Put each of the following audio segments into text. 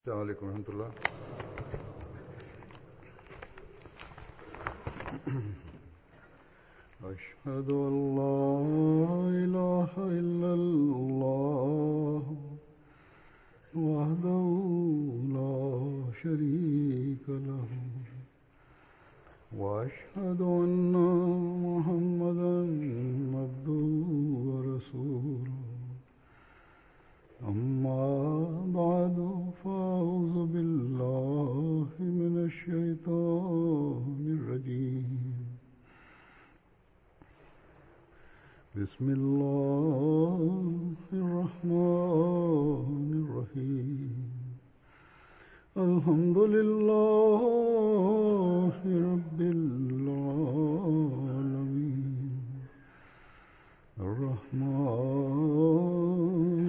السلام عليڪم ورحمة الله. اشهد ان لا اله الا الله وحده لا شريك له واشهد ان محمدا عبده ورسوله اما بعد فاعوذ بالله من الشيطان الرجيم بسم الله الرحمن الرحيم الحمد لله رب العالمين الرحمن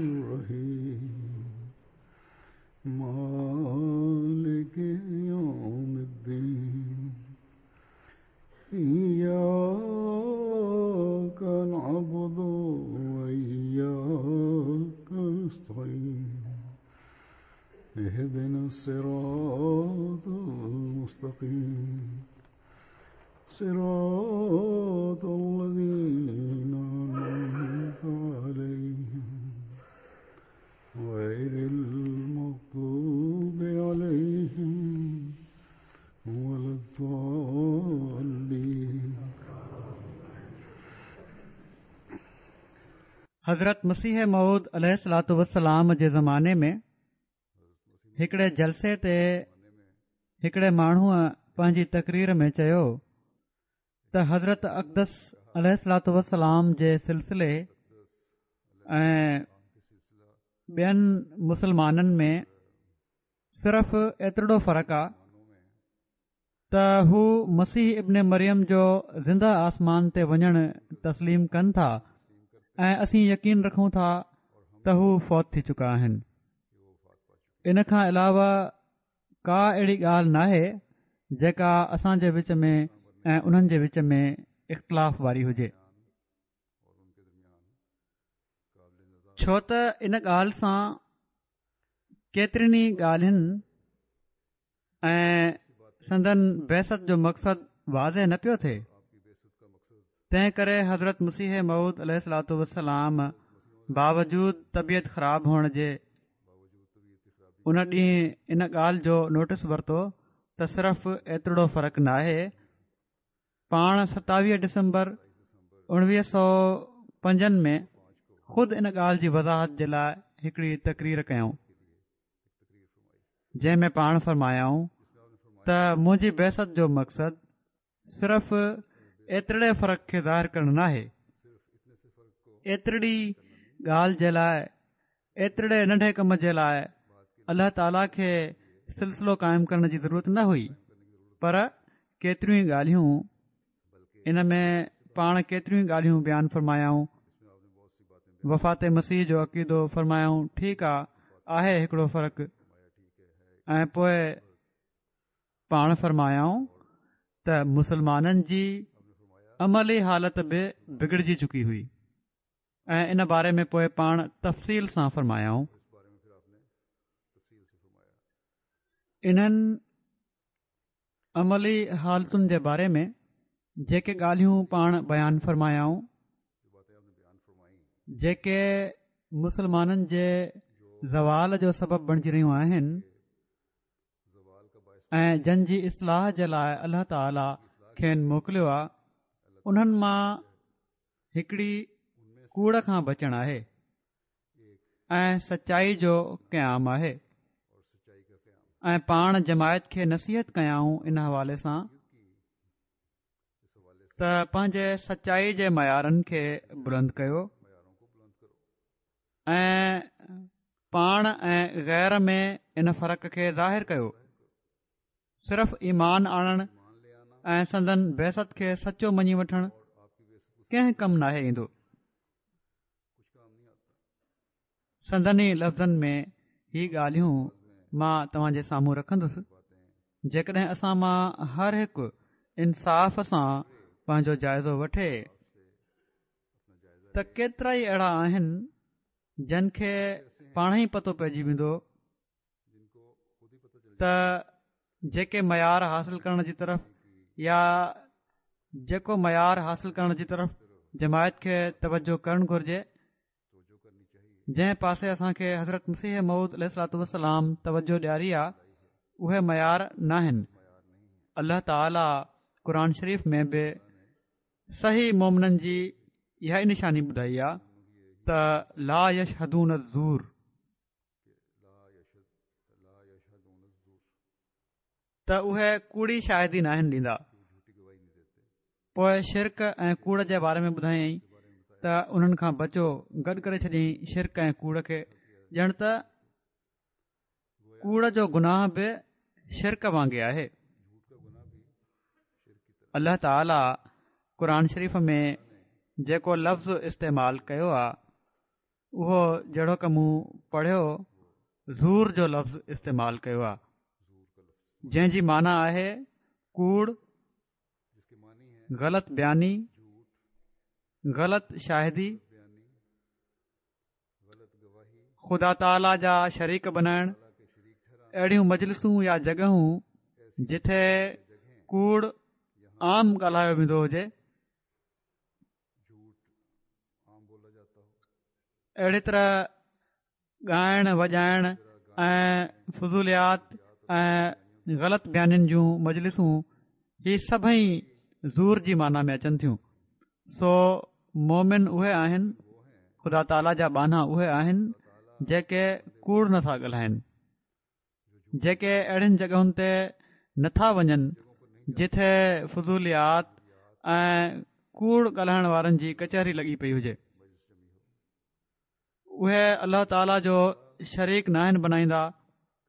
الرحيم مالك يوم الدين إياك نعبد وإياك نستعين اهدنا الصراط المستقيم صراط الذين أنعمت عليهم غير المغضوب عليهم ولا الضالين. حضرت مسيح موعود عليه الصلوة والسلام جي زماني ۾ هڪڙي جلسي تي هڪڙي ماڻهوء پنهنجي تقرير ۾ چيو ته حضرت اقدس عليه الصلوة والسلام جي سلسلي ۽ ٻين مسلمانن ۾ صرف ايترڙو فرق آ ته هو مسيح ابن مريم جو زنده آسمان تي وڃڻ تسليم ڪن ٿا ۽ اسين يقين رکون ٿا ته هو فوت ٿي چڪا آهن. ان کان علاوه ڪا اهڙي ڳالهه ناهي جيڪا اسان جي وچ ۾ ۽ انهن جي وچ ۾ اختلاف واري هجي. ڇو ته ان ڳالهه سان ڪيترين ئي ڳالهين ۽ سندن بعثت جو مقصد واضح نه پيو ٿئي تنهن ڪري حضرت مسيح موعود عليه الصلوة والسلام باوجود طبيعت خراب هئڻ جي ان ڏينهن ان ڳالهه جو نوٽس ورتو ته صرف ايترڙو فرق ناهي پاڻ 27 ڊسمبر اڻويهه سو پنجن ۾ خود ان ڳالهه جي وضاحت جي لاء هڪڙي تقرير ڪيائون جنهن ۾ پاڻ فرمايائون ته منهنجي بعثت جو مقصد صرف ايترڙي فرق کي ظاهر ڪرڻ ناهي ايترڙي ڳالهه جي لاء ايترڙي ننڍي ڪم جي لاء الله تعاليٰ کي سلسلو قائم ڪرڻ جي ضرورت نه هئي پر ڪيتريون ئي ڳالهيون ان ۾ پاڻ ڪيتريون ئي ڳالهيون بيان فرمايائون. وفات مسيح جو عقيدو فرمايائون ٺيڪ آ آهي هڪڙو فرق ۽ پوء پاڻ فرمايائون ته مسلمانن جي عملي حالت به بگڙجي چڪي هئي ۽ ان باري ۾ پوء پاڻ تفصيل سان فرمايائون. انهن عملي حالتن جي باري ۾ جيڪي ڳالهيون پاڻ بيان فرمايائون جيڪي مسلمانن جي زوال جو سبب بڻجي رهيون آهن ۽ جن جي اصلاح جي لاء الله تعالي کين موڪليو آهي انهن مان هڪڙي ڪوڙ کان بچڻ آهي ۽ سچائي جو قيام آهي ۽ پاڻ جماعت کي نصيحت ڪيائون ان حوالي سان ته پنهنجي سچائي جي معيارن کي بلند ڪيو ۽ پاڻ ۽ غير ۾ ان فرق کي ظاهر ڪيو صرف ايمان آڻڻ ۽ سندن بعثت کي سچو مڃي وٺڻ ڪنهن ڪم ناهي ايندو سندن ئي لفظن ۾ هي ڳالهيون مان توهان جي سامهون رکندس جيڪڏهن اسان مان هر هڪ انصاف سان پنهنجو جائزو وٺي ته ڪيترا ئي اهڙا آهن جن کي پاڻ ئي پتو پئجي ويندو. ته جيڪي معيار حاصل ڪرڻ جي طرف يا جيڪو معيار حاصل ڪرڻ جي طرف جماعت کي توجه ڪرڻ گهرجي، جنهن پاسي اسان کي حضرت مسيح موعود عليه الصلوة والسلام توجه ڏياري آ، اهي معيار ناهن. الله تعالي قرآن شريف ۾ به صحيح مومنن جي اها ئي نشاني ٻڌائي آ ته لا يشهدون الزور. ته اهي ڪوڙي شاهدي ناهن ڏيندا. پوء شرڪ ۽ ڪوڙ جي باري ۾ ٻڌايائين ته انهن کان بچو، گڏ ڪري ڇڏيائين شرڪ ۽ ڪوڙ کي، ڄڻ ته ڪوڙ جو گناهه به شرڪ وانگي آهي. الله تعاليٰ قرآن شريف ۾ جيڪو لفظ استعمال ڪيو آهي اهو جهڙوڪ مون پڙهيو زور جو لفظ استعمال ڪيو آهي جنهن جي معنيٰ آهي ڪوڙ، غلط بياني، غلط شاهدي، خدا تعاليٰ جا شريڪ بنائڻ، اهڙيون مجلسون يا جڳهون جتي ڪوڙ عام ڳالهايو ويندو هجي. اهڙي طرح ڳائڻ وڄائڻ ۽ فضوليات ۽ غلط بيانين جون مجلسون هي سڀئي زور جي معنيٰ ۾ اچن ٿيون. سو مومن اهي آهن، خدا تعاليٰ جا ٻانها اهي آهن جيڪي ڪوڙ نٿا ڳالهائن. جيڪي اهڙين جڳهن تي نٿا وڃن جتي فضوليات ۽ ڪوڙ ڳالهائڻ وارن جي ڪچهري لڳي پئي هجي. اهي الله تعاليٰ جو شريڪ ناهن بنائيندا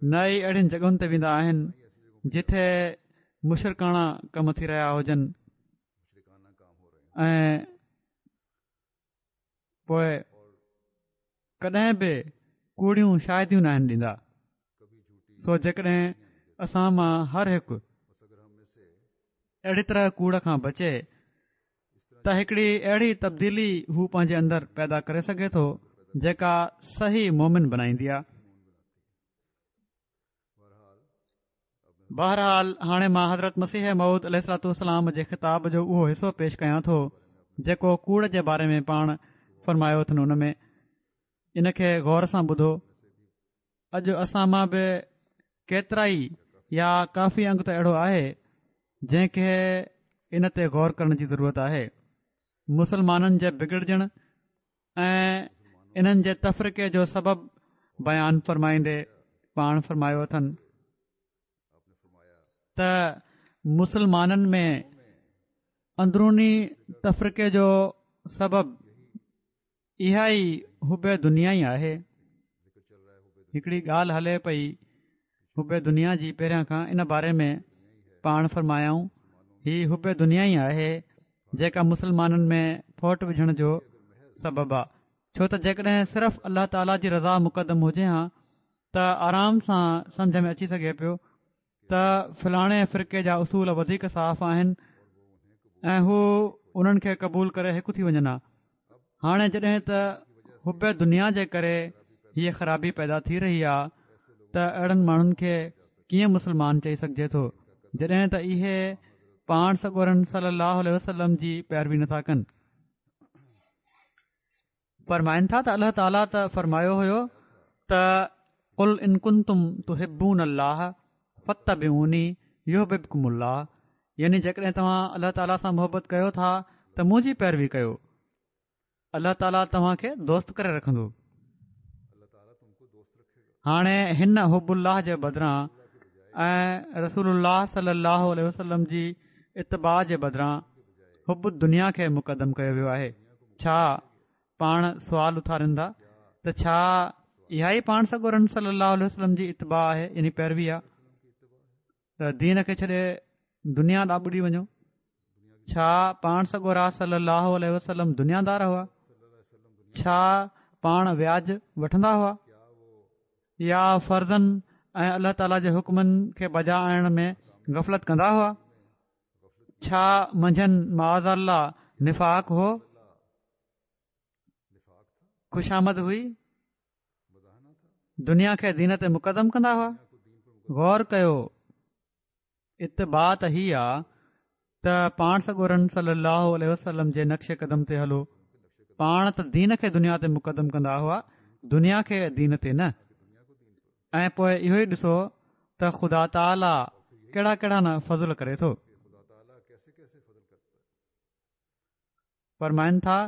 نه ئي اهڙين جڳهن تي ويندا آهن جتي مشرڪاڻا ڪم ٿي رهيا هجن ۽ پوء ڪڏهن به ڪوڙيون شاهديون ناهن ڏيندا. سو جيڪڏهن اسان مان هر هڪ اهڙي طرح ڪوڙ کان بچي ته هڪڙي اهڙي تبديلي هو پنهنجي اندر پيدا ڪري سگهي ٿو جيڪا صحيح مومن بنائيندي آهي. بهرحال هاڻي مان حضرت مسيح موعود عليه الصلوة والسلام جي خطاب جو اهو حصو پيش ڪيان ٿو جيڪو ڪوڙ جي باري ۾ پاڻ فرمايو اٿن ان ۾ ان کي غور سان ٻڌو اڄ اسان مان به ڪيترائي يا ڪافي انگ ته اهڙو آهي جنهن کي ان تي غور ڪرڻ جي ضرورت آهي مسلمانن جي بگڙجڻ ۽ انهن جي تفرقي جو سبب بيان فرمائيندي پاڻ فرمايو اٿن ته مسلمانن ۾ اندروني تفرقي جو سبب اها ئي حب دنيا ئي آهي. هڪڙي ڳالهه هلي پئي حب دنيا جي پهريان کان ان باري ۾ پاڻ فرمايائون هي حب دنيا ئي آهي جيڪا مسلمانن ۾ ڦوٽ وجهڻ جو سبب آ ڇو ته جيڪڏهن صرف الله تعاليٰ جي رضا مقدم هجي ها ته آرام سان سمجه ۾ اچي سگهي پيو ته فلاڻي فرقي جا اصول وڌيڪ صاف آهن ۽ هو انهن کي قبول ڪري هڪ ٿي وڃن ها هاڻي جڏهن ته حب دنيا جي ڪري هيء خرابي پيدا ٿي رهي آ ته اهڙن ماڻهن کي ڪيئن مسلمان چئي سگهجي ٿو جڏهن ته اهي پاڻ سڳورن صلي الله عليه وسلم جي پيروي نٿا ڪن. فرمائن ٿا ته الله تعاليٰ ته فرمايو هيو ته قل ان ڪنتم تحبون الله فاتبعوني يحببڪم الله يعني جيڪڏهن توهان الله تعاليٰ سان محبت ڪيو ٿا ته منهنجي پيروي ڪيو الله تعاليٰ توهان کي دوست ڪري رکندو. هاڻي هن حب الله جي بدران ۽ رسول الله صلي الله عليه وسلم جي اتباع جي بدران حب الدنيا کي مقدم ڪيو ويو آهي. ڇا پاڻ سوال اٿارين ٿا ته ڇا اها ئي پاڻ سڳورن صلي الله عليه وسلم جي اتباع آهي يعني پيروي آهي ته دين کي ڇڏي دنيا ڏانهن ٻڏي وڃو ڇا پاڻ سڳورا صلي الله عليه وسلم دنيا دار هئا ڇا پاڻ وياج وٺندا هئا يا فرضن ۽ الله تعاليٰ جي حڪمن کي بجا آڻڻ ۾ غفلت ڪندا هئا ڇا منجهن معاذ الله نفاق هو خوشامد هئي دنيا کي دين تي مقدم ڪندا هئا. غور ڪيو، اتباع ته هي آ ته پاڻ سڳورن صلي الله عليه وسلم جي نقش قدم تي هلو. پاڻ ته دين کي دنيا تي مقدم ڪندا هئا، دنيا کي دين تي نه. ۽ پوء اهو ئي ڏسو ته خدا تعاليٰ ڪهڙا ڪهڙا نه فضل ڪري ٿو. فرمائن ٿا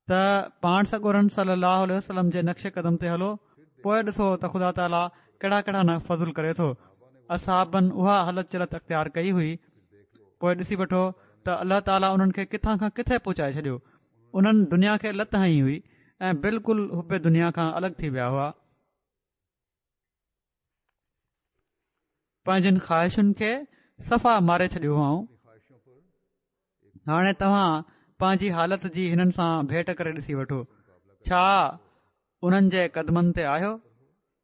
ته پاڻ سڳورن صلي الله عليه وسلم جي نقش قدم تي هلو پوء ڏسو ته خدا تعاليٰ ڪهڙا ڪهڙا نه فضل ڪري ٿو اصحابن اها هلت چلت اختيار ڪئي هئي پوء ڏسي وٺو ته الله تعاليٰ انهن کي ڪٿان کان ڪٿي پهچائي ڇڏيو انهن دنيا کي لت هنئي هئي ۽ بلڪل حب دنيا کان الڳ ٿي ويا هئا پنهنجين خواهشن کي صفا ماري ڇڏيو هئائون هاڻي توهان پنهنجي حالت جي هنن سان ڀيٽ ڪري ڏسي وٺو ڇا انهن جي قدمن تي آهيو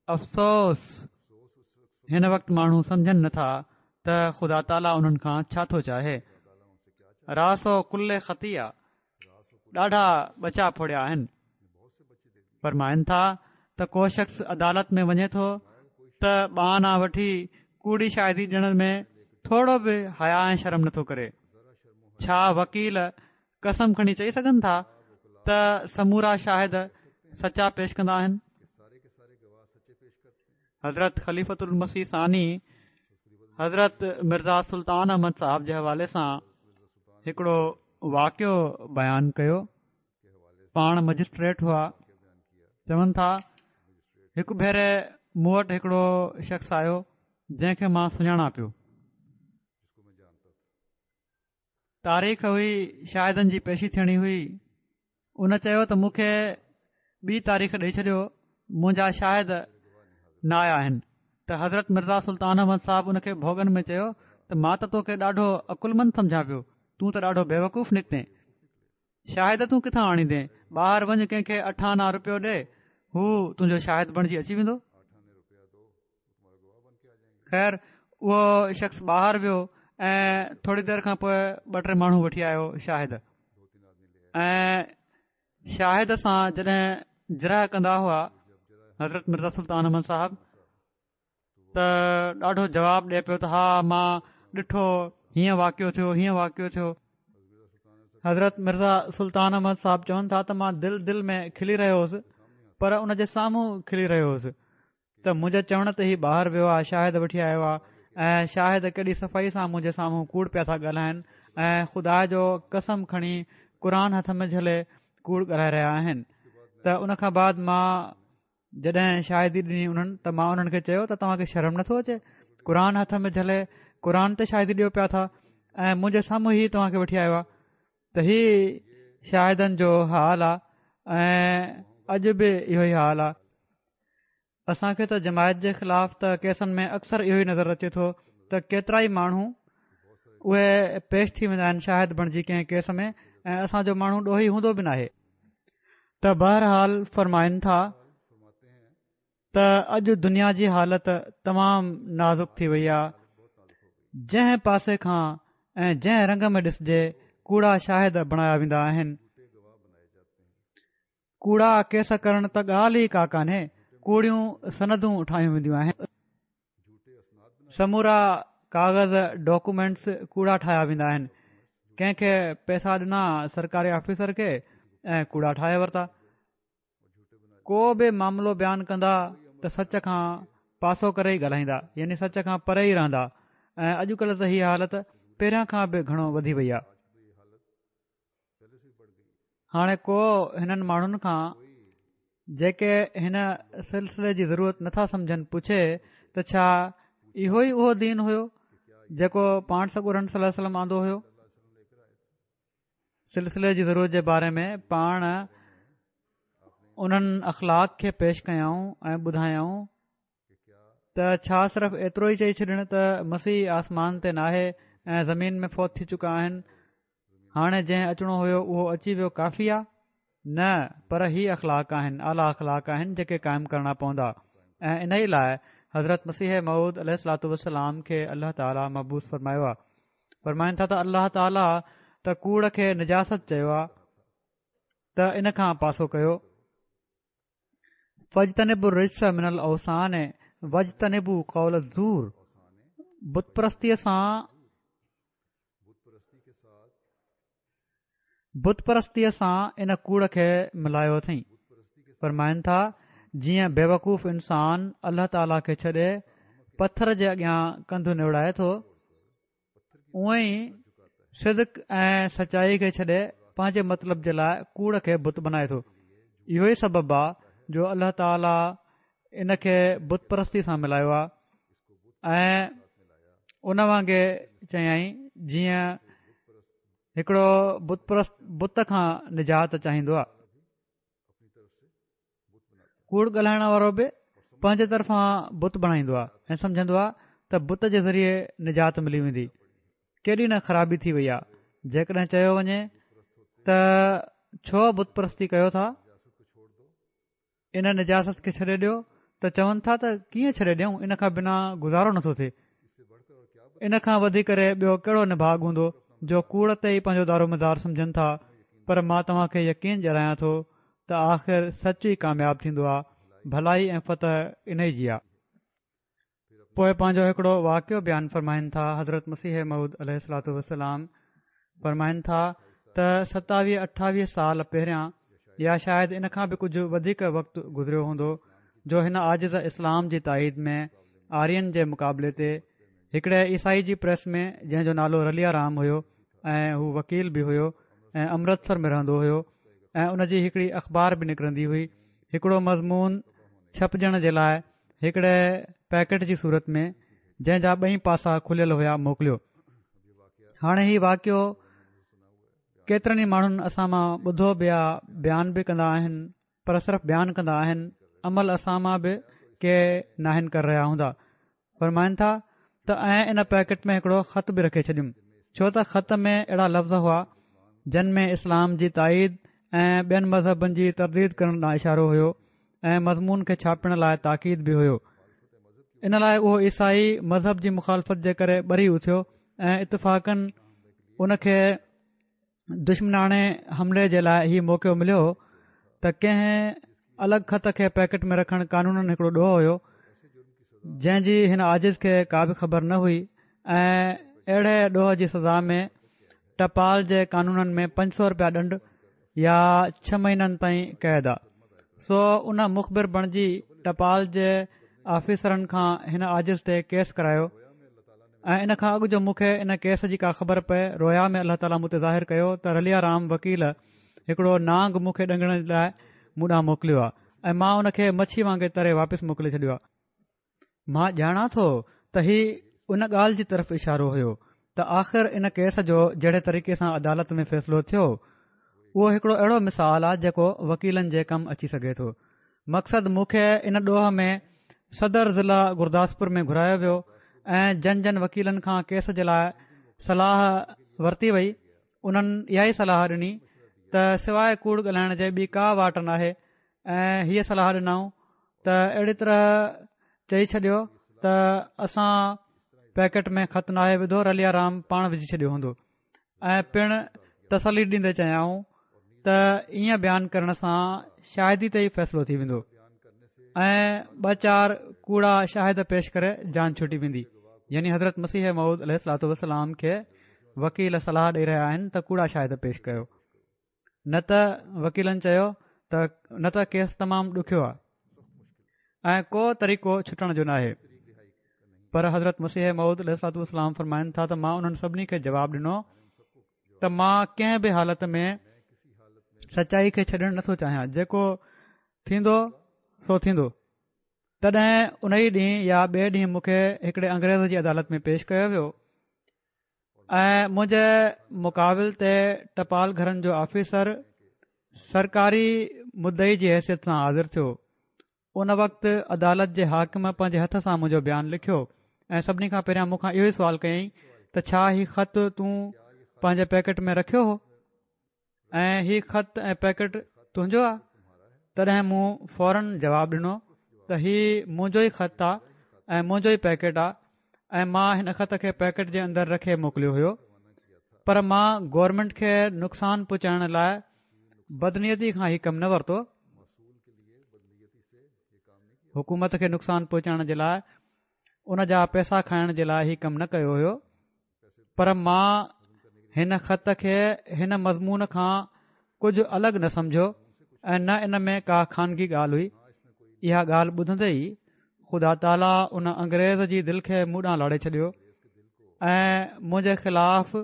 افسوس هن وقت ماڻهو سمجهن نٿا ته خدا تعاليٰ انهن کان ڇا ٿو چاهي راس ڪل خطيئة ڏاڍا ٻچا ڦوڙيا آهن فرمائن ٿا ته ڪو شخص عدالت ۾ وڃي ٿو ته ٻه آنا وٺي ڪوڙي شاهدي ڏيڻ ۾ ٿورو به حيا ۽ شرم نٿو ڪري ڇا وڪيل قسم کڻي چئي سگهن ٿا ته سمورا شاهد سچا پيش ڪندا آهن حضرت خليفة المسيح ثاني حضرت مرزا سلطان احمد صاحب جي حوالي سان هڪڙو واقعو بيان ڪيو پاڻ مئجسٽريٽ هئا چون ٿا هڪ ڀيري مون وٽ هڪڙو شخص آيو جنهن کي مان سڃاڻان پيو تاريخ هئي شاهدن جي پيشي ٿيڻي هئي ان چيو ته مون کي ٻي تاريخ ڏئي ڇڏيو منهنجا شاهد نه آيا آهن ته حضرت مرزا سلطان احمد صاحب ان کي ڀوڳن ۾ چيو ته مان ته توکي ڏاڍو عقلمند سمجهان پيو تون ته ڏاڍو بيوقوف نڪتين شاهد تون ڪٿان آڻيندين ٻاهر وڃ ڪنهن کي اٺ آنا روپيو ڏي هو تنهنجو شاهد بڻجي اچي ويندو خير اهو شخص ٻاهر ويو ۽ ٿوري دير کان پوء ٻه ٽي ماڻهو وٺي آيو شاهد ۽ شاهد سان جڏهن جرح ڪندا هئا حضرت مرزا سلطان احمد صاحب ته ڏاڍو جواب ڏئي پيو ته ها مان ڏٺو هيئن واقعو ٿيو هيئن واقعو ٿيو حضرت مرزا سلطان احمد صاحب چون ٿا ته مان دل دل ۾ کلي رهيو هوس پر ان جي سامهون کلي رهيو هوس ته منهنجي چوڻ تي هي ٻاهر ويو آهي شاهد وٺي آيو آهي ۽ شاهد ڪيڏي صفائي سان منهنجي سامهون ڪوڙ پيا ٿا ڳالهائن ۽ خدا جو قسم کڻي قرآن هٿ ۾ جهلي ڪوڙ ڳالهائي رهيا آهن ته ان کان بعد مان جڏهن شاهدي ڏني انهن ته مان انهن کي چيو ته توهان کي شرم نٿو اچي قرآن هٿ ۾ جهلي قرآن تي شاهدي ڏيو پيا ٿا ۽ منهنجي سامهون هي توهان کي وٺي آيو آهي ته هي شاهدن جو حال آهي ۽ اڄ به اهو ئي حال آهي اسان کي ته جماعت جي خلاف ته ڪيسن ۾ اڪثر اهو ئي نظر اچي ٿو ته ڪيترا ئي ماڻهو اهي پيش ٿي ويندا آهن شاهد بڻجي ڪنهن ڪيس ۾ ۽ اسان جو ماڻهو ڏوهي هوندو به ناهي ته بهرحال فرمائن ٿا ته اڄ دنيا جي حالت تمام نازڪ ٿي وئي آهي جنهن پاسي کان ۽ جنهن رنگ ۾ ڏسجي ڪوڙا شاهد بڻايا ويندا آهن ڪوڙا ڪيس ڪرڻ ته ڳالهه ئي ڪا ڪانهي ڪوڙيون سندون ٺاهيون وينديون آهن سمورا ڪاغذ ڊاڪومينٽس ڪوڙا ٺاهيا ويندا آهن ڪنهن کي پئسا ڏنا سرڪاري آفيسر کي ۽ ڪوڙا ٺاهي ورتا ڪو به معاملو بيان ڪندا ته سچ کان پاسو ڪري ئي ڳالهائيندا يعني سچ کان پري ئي رهندا ۽ اڄڪلهه ته هي حالت پهريان کان به گهڻو وڌي وئي آهي هاڻي ڪو هنن ماڻهن کان جيڪي هن سلسلي جي ضرورت نٿا سمجهن پڇي ته ڇا اهو ئي اهو دين هيو جيڪو پاڻ سڳورن صلي الله عليه وسلم آندو هيو سلسلي جي ضرورت جي باري ۾ پاڻ انهن اخلاق کي پيش ڪيائون ۽ ٻڌايائون ته ڇا صرف ايترو ئي چئي ڇڏڻ ته مسيح آسمان تي ناهي ۽ زمين ۾ فوت ٿي چڪا آهن هاڻي جنهن اچڻو هيو اهو اچي ويو ڪافي آ نه پر هي اخلاق آهن اعليٰ اخلاق آهن جيڪي قائم ڪرڻا پوندا ۽ انهي لاء حضرت مسيح موعود عليه الصلوٰة والسلام کي الله تعاليٰ مبعوث فرمايو آ فرمائن ٿا ته الله تعاليٰ ته ڪوڙ کي نجاست چيو آهي ته ان کان پاسو ڪيو فاجتنبوا الرجس من الاوثان واجتنبوا قول الزور بت پرستيء سان بت پرستيء سان ان ڪوڙ کي ملايو اٿئين. فرمائن ٿا، جيئن بيوقوف انسان الله تعاليٰ کي ڇڏي پٿر جي اڳيان ڪنڌ نوڙائي ٿو، اونئن ئي صدق ۽ سچائي کي ڇڏي پنهنجي مطلب جي لاء ڪوڙ کي بت بنائي ٿو. اهو ئي سبب آ جو الله تعاليٰ ان کي بت پرستي سان ملايو آ ۽ ان وانگي چيائين جيئن هڪڙو بت پرست بت کان نجات چاهيندو آ. ڪوڙ ڳالهائڻ وارو به پنهنجي طرفان بت بڻائيندو آ ۽ سمجهندو آ ته بت جي ذريعي نجات ملي ويندي. ڪيڏي نه خرابي ٿي وئي آ. جيڪڏهن چيو وڃي ته ڇو بت پرستي ڪيو ٿا؟ ان نجاست کي ڇڏي ڏيو ته چون ٿا ته ڪيئن ڇڏي ڏيون ان کان بنا گذارو نٿو ٿئي ان کان وڌي ڪري ٻيو ڪهڙو نڀاڳ هوندو جو ڪوڙ تي ئي پنهنجو دارومدار سمجهن ٿا پر مان توهان کي يقين ڏياريان ٿو ته آخر سچ ئي ڪامياب ٿيندو آهي ڀلائي ۽ فتح انهي جي آهي. پوء پنهنجو هڪڙو واقعو بيان فرمائن ٿا حضرت مسيح موعود عليه الصلوة والسلام فرمائن ٿا ته ستاويهه اٺاويهه سال پهريان يا شايد ان کان به ڪجهه وڌيڪ وقت گذريو هوندو جو هن عاجز اسلام جي تائيد ۾ آرين جي مقابلي تي هڪڙي عيسائي جي پريس ۾ جنهن جو نالو رليا رام هيو ۽ هو وڪيل به هيو ۽ امرتسر ۾ رهندو هيو ۽ ان جي هڪڙي اخبار به نڪرندي هئي هڪڙو مضمون ڇپجڻ جي لاء هڪڙي پيڪيٽ جي صورت ۾ جنهن جا ٻئي پاسا کليل هيا موڪليو هاڻي هي واقعو ڪيترن ئي ماڻهن اسان مان ٻڌو به آ بيان به ڪندا آهن پر صرف بيان ڪندا آهن عمل اسان مان به ڪي ناهن ڪري رهيا هوندا فرمائن ٿا ته ۽ ان پيڪيٽ ۾ هڪڙو خط به رکي ڇڏيم ڇو ته خط ۾ اهڙا لفظ هئا جن ۾ اسلام جي تائيد ۽ ٻين مذهبن جي ترديد ڪرڻ ڏانهن اشارو هيو ۽ مضمون کي ڇاپڻ لاء تاڪيد به هيو ان لاء اهو عيسائي مذهب جي مخالفت جي ڪري ٻري اٿيو ۽ اتفاقاً ان کي دشمناڻي حملي جي لاء هي موقعو مليو ته ڪنهن الڳ خط کي پيڪٽ ۾ رکڻ قانوناً هڪڙو ڏوهه هيو جنهن جي هن عاجز کي ڪا به خبر نه هئي ۽ اهڙي ڏوهه جي سزا ۾ ٽپال جي قانونن ۾ 500 رپيا ڏنڊ يا ڇهه مهينن تائين قيد آ. سو ان مخبر بڻجي ٽپال جي آفيسرن کان هن عاجز تي ڪيس ڪرايو ۽ ان کان اڳ جو مون کي ان ڪيس جي ڪا خبر پئي رويا ۾ الله تعاليٰ مون تي ظاهر ڪيو ته رليا رام وڪيل هڪڙو نانگ مون کي ڏنگڻ لاء مون ڏانهن موڪليو آ ۽ مان ان کي مڇي وانگي تري واپس موڪلي ڇڏيو آ. مان ڄاڻان ٿو ته هي ان ڳالهه جي طرف اشارو هيو ته آخر ان ڪيس جو جهڙي طريقي سان عدالت ۾ فيصلو ٿيو اهو هڪڙو اهڙو مثال آهي جيڪو وڪيلن جي ڪم اچي سگهي ٿو مقصد مون کي ان ڏوهه ۾ صدر ضلع گرداسپور ۾ گهرايو ويو ۽ جن جن وڪيلن کان ڪيس جي لاء صلاح ورتي وئي انهن اها ئي صلاح ڏني ته سواء ڪوڙ ڳالهائڻ جي ٻي ڪا واٽ ناهي ۽ هيء صلاح ڏنائون ته اهڙي طرح چئي ڇڏيو ته اسان پيڪيٽ ۾ خط ناهي وڌو رليا رام پاڻ وجهي ڇڏيو هوندو ۽ پڻ تسلي ڏيندي چيائون ته ائين بيان ڪرڻ سان شاهدي تي ئي فيصلو ٿي ويندو ۽ ٻه چار ڪوڙا شاهد پيش ڪري جان ڇٽي ويندي يعني حضرت مسيح موعود عليه الصلوة والسلام کي وڪيل صلاح ڏئي رهيا آهن ته ڪوڙا شاهد پيش ڪيو نه ته وڪيلن چيو ته نه ته ڪيس تمام ڏکيو آهي ۽ ڪو طريقو ڇٽڻ جو ناهي پر حضرت مسيح موعود عليه الصلوة والسلام فرمائن ٿا ته مان انهن سڀني کي جواب ڏنو ته مان ڪنهن به حالت ۾ سچائي کي ڇڏڻ نٿو چاهيان جيڪو ٿيندو سو ٿيندو تڏهن ان ئي ڏينهن يا ٻئي ڏينهن مون کي هڪڙي انگريز جي عدالت ۾ پيش ڪيو ويو ۽ منهنجي مقابل تي ٽپال گهرن جو آفيسر سرڪاري مدعي جي حيثيت سان حاضر ٿيو. ان وقت عدالت جي حاڪم پنهنجي هٿ سان منهنجو بيان لکيو ۽ سڀني کان پهريان مون کان اهو ئي سوال ڪيائين ته ڇا هي خط تون پنهنجي پيڪيٽ ۾ رکيو هو؟ ۽ هي خط ۽ پيڪيٽ تنهنجو آ؟ تڏهن مون فورن جواب ڏنو ته هي منهنجو ئي خط آ ۽ منهنجو ئي پيڪيٽ آ ۽ مان هن خط کي پيڪيٽ جي اندر رکي موڪليو هيو پر مان گورنمينٽ کي نقصان پهچائڻ لاء بدنيتي کان هي ڪم نه ورتو. حڪومت کي نقصان پهچائڻ جي لاء ان جا پئسا کائڻ جي لاء هي ڪم نه ڪيو هيو پر مان هن خط کي هن مضمون کان ڪجهه الڳ نه سمجهيو ۽ نه ان ۾ ڪا خانگي ڳالهه هئي. اها ڳالهه ٻڌندي ئي خدا تعاليٰ ان انگريز جي دل کي مون ڏانهن لاڙي ڇڏيو ۽ منهنجي خلاف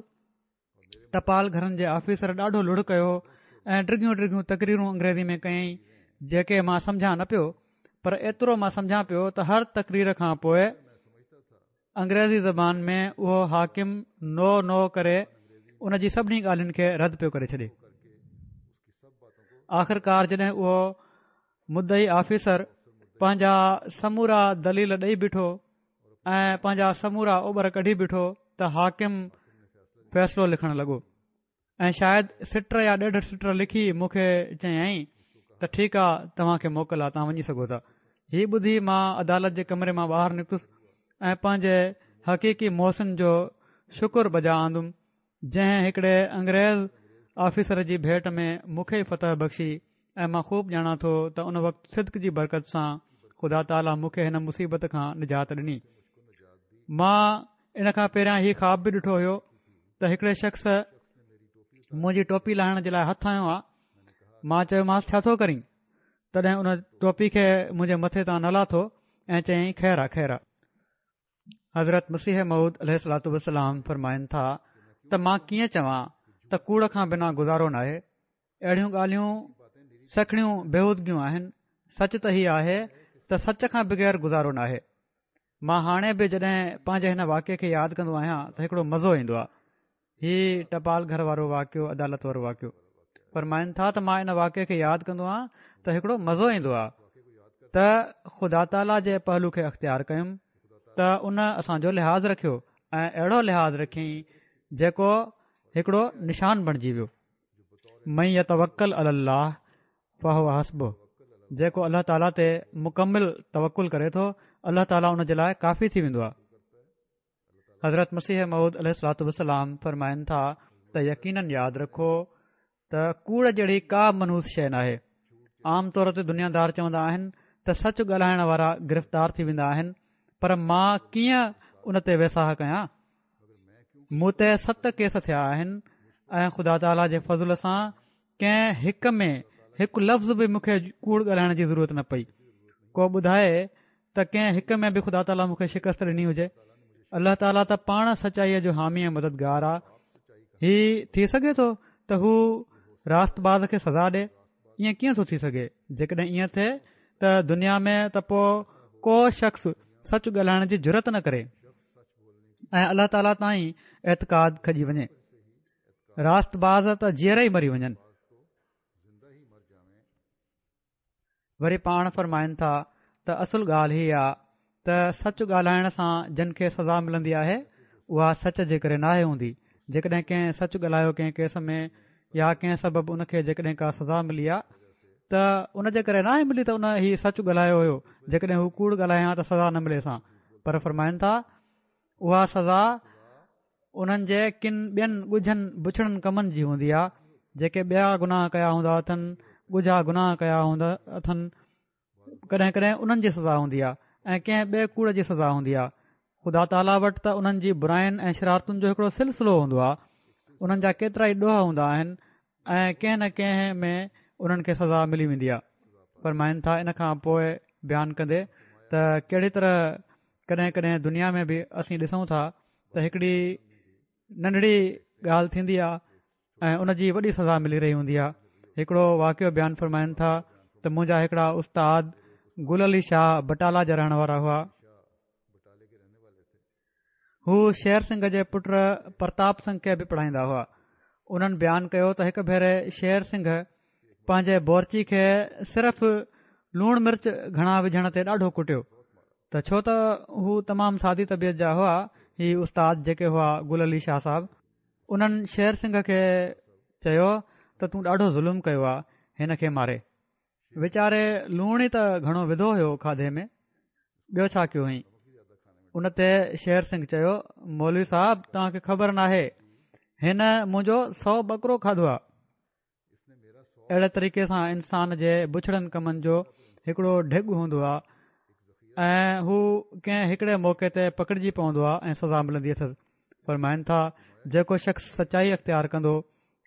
ٽپال گهرن جي آفيسر ڏاڍو لڙ ڪيو ۽ ڊگهيون ڊگهيون تقريرون انگريزي ۾ ڪيائين جيڪي مان سمجهان نه پيو پر ايترو مان سمجهان پيو ته هر تقرير کان پوء انگريزي زبان ۾ اهو حاڪم نو نو ڪري ان جي سڀني ڳالهين کي رد پيو ڪري ڇڏي. آخرڪار جڏهن اهو مدعي آفيسر پنهنجا سمورا دليل ڏئي بيٺو ۽ پنهنجا سمورا اوٻر ڪڍي بيٺو ته حاڪم فيصلو لکڻ لڳو. ۽ شايد سٽ يا ڏيڍ سٽ لکي مون کي چيائين ته ٺيڪ آ توهان کي موڪل آ توهان وڃي سگهو ٿا. هي ٻڌي مان عدالت جي ڪمري مان ٻاهر نڪتس ۽ پنهنجي حقيقي محسن جو شڪر بجا آندم جنهن هڪڙي انگريز آفيسر جي ڀيٽ ۾ مون کي ئي فتح بخشي ۽ مان خوب ڄاڻان ٿو ته ان وقت صدق جي برڪت سان خدا تعاليٰ مون کي هن مصيبت کان نجات ڏني. مان ان کان پهريان هي خواب به ڏٺو هيو ته هڪڙي شخص منهنجي ٽوپي لاهڻ جي لاء هٿ هنيو آ مان چيومانس ڇا ٿو ڪرين تڏهن ان ٽوپي کي منهنجي مٿي تان نه لاٿو ۽ چيائين خير آ خير آ حضرت مسيح موعود عليه الصلوٰة والسلام فرمائن ٿا ته مان ڪيئن چوان ته ڪوڙ کان بنا گذارو ناهي اهڙيون ڳالهيون سکڻيون بيهودگيون آهن سچ ته هي آهي ته سچ کان بغير گذارو ناهي مان هاڻي به جڏهن پنهنجي هن واقعي کي ياد ڪندو آهيان ته هڪڙو مزو ايندو آهي هي ٽپال گهر وارو واقعو عدالت وارو واقعو فرمائن ٿا ته مان ان واقعي کي ياد ڪندو آهيان ته هڪڙو مزو ايندو آهي ته خدا تعاليٰ جي پهلو کي اختيار ڪيم ته ان اسان جو لحاظ رکيو ۽ اهڙو لحاظ رکيائين جيڪو هڪڙو نشان بڻجي ويو من يتوڪل علي الله فهو حسبه جيڪو الله تعاليٰ تي مڪمل توڪل ڪري ٿو الله تعاليٰ ان جي لاء ڪافي ٿي ويندو آهي حضرت مسيح موعود عليه الصلوٰة والسلام فرمائن ٿا ته يقيناً ياد رکو ته ڪوڙ جهڙي ڪا منحوس شيء ناهي عام طور تي دنيا دار چوندا آهن ته سچ ڳالهائڻ وارا گرفتار ٿي ويندا آهن پر مان ڪيئن ان تي ويساهه ڪيان مون تي ست ڪيس ٿيا آهن ۽ خدا تعاليٰ جي فضل سان ڪنهن هڪ ۾ هڪ لفظ به مون کي ڪوڙ ڳالهائڻ جي ضرورت نه پئي ڪو ٻڌائي ته ڪنهن هڪ ۾ به خدا تعاليٰ مون کي شڪست ڏني هجي الله تعاليٰ ته پاڻ سچائيء جو حامي ۽ مددگار آ هي ٿي سگهي ٿو ته هو راست باز کي سزا ڏي ائين ڪيئن ٿو ٿي سگهي جيڪڏهن ائين ٿئي ته دنيا ۾ ته پوء ڪو شخص سچ ڳالهائڻ جي جرئت نه ڪري ۽ الله تعاليٰ تان ئي اعتقاد کڄي وڃي راست باز ته جيئرا ئي مري وڃن وري پاڻ فرمائن ٿا ته اصل ڳالهه هي آ ته سچ ڳالهائڻ سان جن کي سزا ملندي آهي اها سچ جي ڪري ناهي هوندي جيڪڏهن ڪنهن سچ ڳالهايو ڪنهن ڪيس ۾ يا ڪنهن سبب ان کي جيڪڏهن ڪا سزا ملي آ ته ان جي ڪري ناهي ملي ته ان هي سچ ڳالهايو هيو جيڪڏهن هو ڪوڙ ڳالهائي ها ته سزا نه مليس ها پر فرمائن ٿا اها سزا انهن جي ڪن ٻين ڳجهن بڇڙن ڪمن جي هوندي آ جيڪي ٻيا گناهه ڪيا هوندا اٿن ڳجها گناهه ڪيا هوندا اٿن ڪڏهن ڪڏهن انهن جي سزا هوندي آ ۽ ڪنهن ٻئي ڪوڙ جي سزا هوندي آ خدا تعاليٰ وٽ ته انهن جي براين ۽ شرارتن جو هڪڙو سلسلو هوندو آ انهن جا ڪيترائي ڏوهه هوندا آهن ۽ ڪنهن نه ڪنهن ۾ انهن کي سزا ملي ويندي آ فرمائن ٿا ان کان پوء بيان ڪندي ته ڪهڙي طرح ڪڏهن ڪڏهن دنيا ۾ به اسين ڏسون ٿا ته هڪڙي ننڍڙي ڳالهه ٿيندي آ ۽ ان جي وڏي سزا ملي رهي هوندي آ هڪڙو واقعو بيان فرمائن ٿا ته منهنجا هڪڙا استاد گل علي شاهه بٽالا جا رهڻ وارا هئا هو شير سنگهه جي پٽ پرتاپ سنگهه کي به پڙهائيندا هئا انهن بيان ڪيو ته هڪ ڀيري شير سنگهه پنهنجي بورچي کي صرف لوڻ مرچ گهڻا وجهڻ تي ڏاڍو ڪٽيو ته ڇو ته هو تمام سادي طبيعت جا هئا هي استاد جيڪي هئا گل علي شاهه صاحب انهن شير سنگهه کي چيو ته تون ڏاڍو ظلم ڪيو آ هن کي ماري ويچاري لوڻ ئي ته گهڻو وڌو هيو کاڌي ۾ ٻيو ڇا ڪيو هئائين ان تي شير سنگهه چيو مولوي صاحب توهان کي خبر ناهي هن منهنجو سو ٻڪرو کاڌو آ اهڙي طريقي سان انسان جي بڇڙن ڪمن جو هڪڙو ڍڳ هوندو آ. ۽ هو ڪنهن هڪڙي موقعي تي پڪڙجي پوندو آهي ۽ سزا ملندي اٿس. فرمائن ٿا، جيڪو شخص سچائي اختيار ڪندو،